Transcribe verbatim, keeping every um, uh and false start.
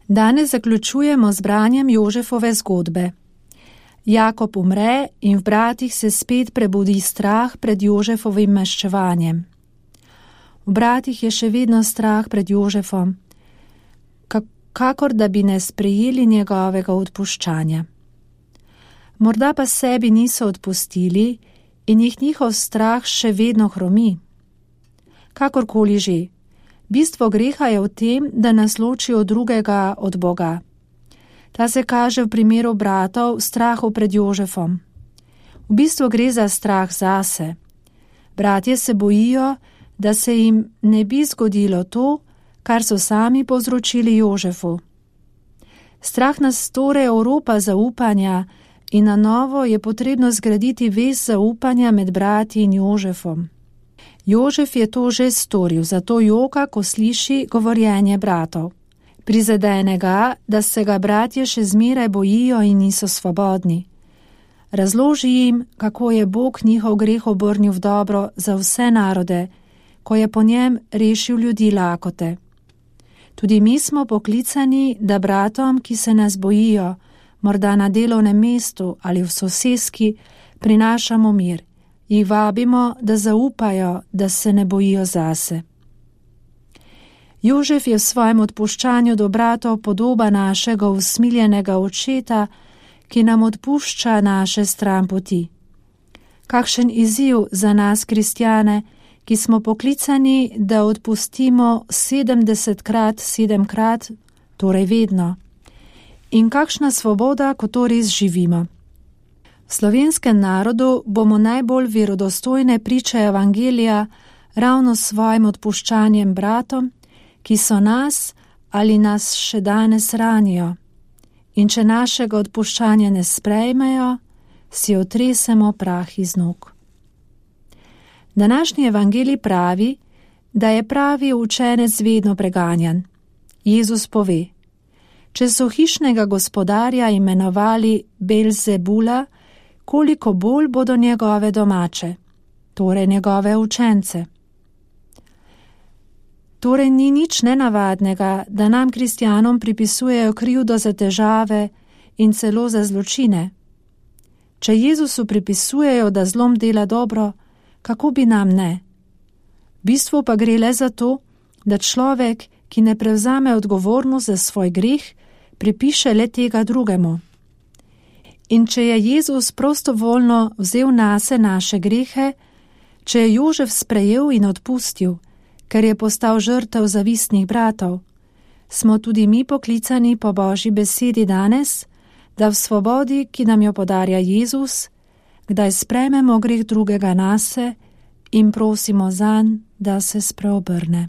Danes zaključujemo z branjem Jožefove zgodbe. Jakob umre in v bratih se spet prebudi strah pred Jožefovim maščevanjem. V bratih je še vedno strah pred Jožefom, kakor da bi ne sprejeli njegovega odpuščanja. Morda pa sebi niso odpustili in jih njihov strah še vedno hromi. Kakorkoli že, bistvo greha je v tem, da nas loči od drugega od Boga. Ta se kaže v primeru bratov strahu pred Jožefom. V bistvu gre za strah zase. Bratje se bojijo, da se jim ne bi zgodilo to, kar so sami povzročili Jožefu. Strah nas torej oropa zaupanja in na novo je potrebno zgraditi vez zaupanja med brati in Jožefom. Jožef je to že storil, zato joka, ko sliši govorjenje bratov. Prizadene ga, da se ga bratje še zmeraj bojijo in niso svobodni. Razloži jim, kako je Bog njihov greh obrnil v dobro za vse narode, ko je po njem rešil ljudi lakote. Tudi mi smo poklicani, da bratom, ki se nas bojijo, morda na delovnem mestu ali v soseski, prinašamo mir. Jih vabimo, da zaupajo, da se ne bojijo zase. Jožef je v svojem odpuščanju do bratov podoba našega usmiljenega očeta, ki nam odpušča naše stranpoti. Kakšen izziv za nas, kristjane, ki smo poklicani, da odpustimo sedemdesetkrat, sedemkrat, torej vedno. In kakšna svoboda, ko to res živimo. V slovenskem narodu bomo najbolj verodostojne priče evangelija ravno s svojim odpuščanjem bratom, ki so nas ali nas še danes ranijo. In če našega odpuščanja ne sprejmejo, si otresemo prah iz nog. Današnji evangelij pravi, da je pravi učenec vedno preganjan. Jezus pove, če so hišnega gospodarja imenovali Belzebula, koliko bolj bodo njegove domače, torej njegove učence. Torej ni nič nenavadnega, da nam kristjanom pripisujejo krivdo za težave in celo za zločine. Če Jezusu pripisujejo, da zlom dela dobro, kako bi nam ne? V bistvu pa gre le za to, da človek, ki ne prevzame odgovornost za svoj greh, pripiše le tega drugemu. In če je Jezus prostovoljno vzel nase naše grehe, če je Jožef sprejel in odpustil, ker je postal žrtev zavistnih bratov, smo tudi mi poklicani po Božji besedi danes, da v svobodi, ki nam jo podarja Jezus, kdaj sprejmemo greh drugega nase in prosimo zanj, da se spreobrne.